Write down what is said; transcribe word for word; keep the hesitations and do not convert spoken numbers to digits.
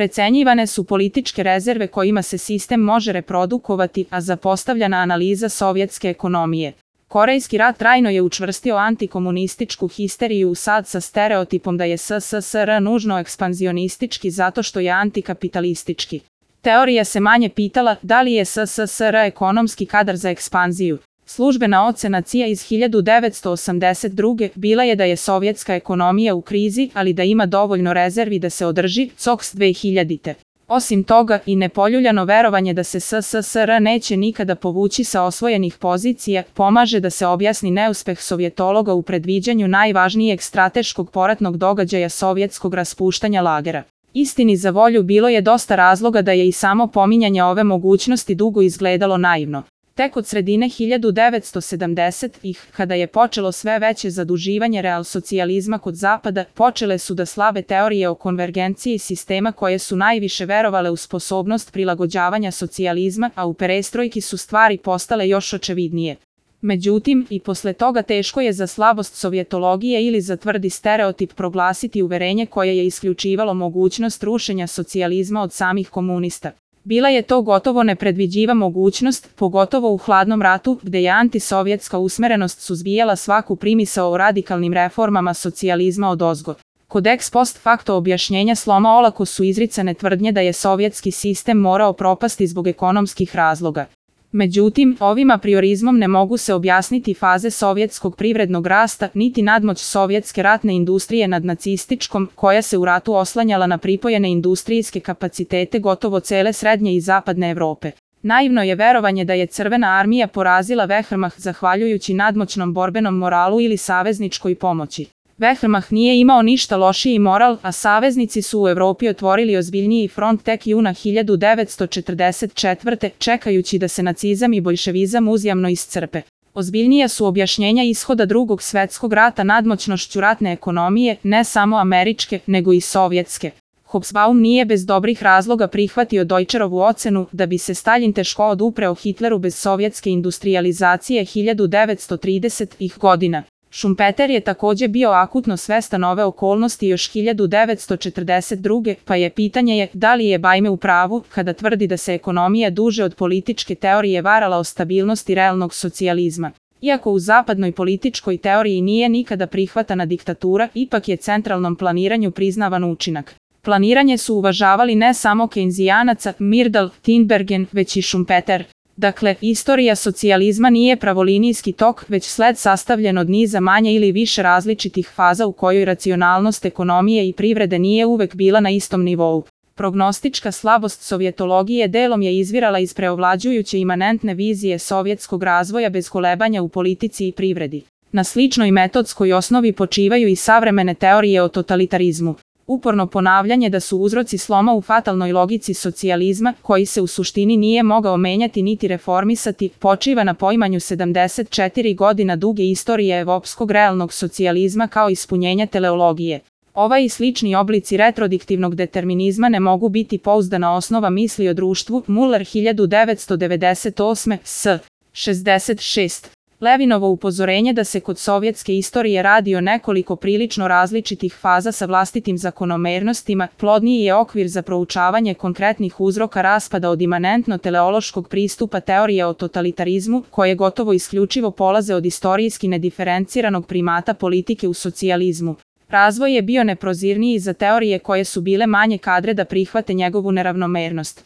Precenjivane su političke rezerve kojima se sistem može reprodukovati, a zapostavljana analiza sovjetske ekonomije. Korejski rat trajno je učvrstio antikomunističku histeriju u sad sa stereotipom da je S S S R nužno ekspanzionistički zato što je antikapitalistički. Teorija se manje pitala da li je S S S R ekonomski kadar za ekspanziju. Službena ocena C I A iz hiljadu devetsto osamdeset druge bila je da je sovjetska ekonomija u krizi, ali da ima dovoljno rezervi da se održi, C O K S dve hiljadite. Osim toga, i nepoljuljano verovanje da se S S S R neće nikada povući sa osvojenih pozicija, pomaže da se objasni neuspeh sovjetologa u predviđanju najvažnijeg strateškog poratnog događaja sovjetskog raspuštanja lagera. Istini za volju bilo je dosta razloga da je i samo pominjanje ove mogućnosti dugo izgledalo naivno. Tek od sredine hiljadu devetsto sedamdesetih, kada je počelo sve veće zaduživanje realsocijalizma kod Zapada, počele su da slave teorije o konvergenciji sistema koje su najviše verovale u sposobnost prilagođavanja socijalizma, a u perestrojki su stvari postale još očevidnije. Međutim, i posle toga teško je za slabost sovjetologije ili za tvrdi stereotip proglasiti uverenje koje je isključivalo mogućnost rušenja socijalizma od samih komunista. Bila je to gotovo nepredviđiva mogućnost, pogotovo u hladnom ratu, gde je antisovjetska usmerenost suzbijala svaku primisao o radikalnim reformama socijalizma odozgo. Kod ex post facto objašnjenja sloma olako su izricane tvrdnje da je sovjetski sistem morao propasti zbog ekonomskih razloga. Međutim, ovim apriorizmom ne mogu se objasniti faze sovjetskog privrednog rasta, niti nadmoć sovjetske ratne industrije nad nacističkom, koja se u ratu oslanjala na pripojene industrijske kapacitete gotovo cele srednje i zapadne Evrope. Naivno je verovanje da je Crvena armija porazila Wehrmacht zahvaljujući nadmoćnom borbenom moralu ili savezničkoj pomoći. Wehrmacht nije imao ništa lošiji moral, a saveznici su u Evropi otvorili ozbiljniji front tek juna hiljadu devetsto četrdeset četvrte čekajući da se nacizam i boljševizam uzjamno iscrpe. Ozbiljnija su objašnjenja ishoda Drugog svjetskog rata nadmoćnošću ratne ekonomije, ne samo američke, nego i sovjetske. Hobsbawm nije bez dobrih razloga prihvatio Deutscherovu ocenu da bi se Stalin teško odupreo Hitleru bez sovjetske industrijalizacije hiljadu devetsto tridesetih godina. Schumpeter je također bio akutno svestan ove okolnosti još hiljadu devetsto četrdeset druge pa je pitanje je da li je Bajme u pravu kada tvrdi da se ekonomija duže od političke teorije varala o stabilnosti realnog socijalizma. Iako u zapadnoj političkoj teoriji nije nikada prihvatana diktatura, ipak je centralnom planiranju priznavan učinak. Planiranje su uvažavali ne samo Keynesianaca, Myrdal, Tinbergen, već i Schumpeter. Dakle, istorija socijalizma nije pravolinijski tok, već sled sastavljen od niza manje ili više različitih faza u kojoj racionalnost ekonomije i privrede nije uvek bila na istom nivou. Prognostička slabost sovjetologije delom je izvirala iz preovlađujuće imanentne vizije sovjetskog razvoja bez kolebanja u politici i privredi. Na sličnoj metodskoj osnovi počivaju i savremene teorije o totalitarizmu. Uporno ponavljanje da su uzroci sloma u fatalnoj logici socijalizma, koji se u suštini nije mogao menjati niti reformisati, počiva na poimanju sedamdeset četiri godina duge istorije evropskog realnog socijalizma kao ispunjenja teleologije. Ovaj i slični oblici retrodiktivnog determinizma ne mogu biti pouzdana osnova misli o društvu. Muller hiljadu devetsto devedeset osme, s. šezdeset šest. Levinovo upozorenje da se kod sovjetske istorije radi o nekoliko prilično različitih faza sa vlastitim zakonomernostima, plodniji je okvir za proučavanje konkretnih uzroka raspada od imanentno-teleološkog pristupa teorije o totalitarizmu, koje gotovo isključivo polaze od istorijski nediferenciranog primata politike u socijalizmu. Razvoj je bio neprozirniji za teorije koje su bile manje kadre da prihvate njegovu neravnomernost.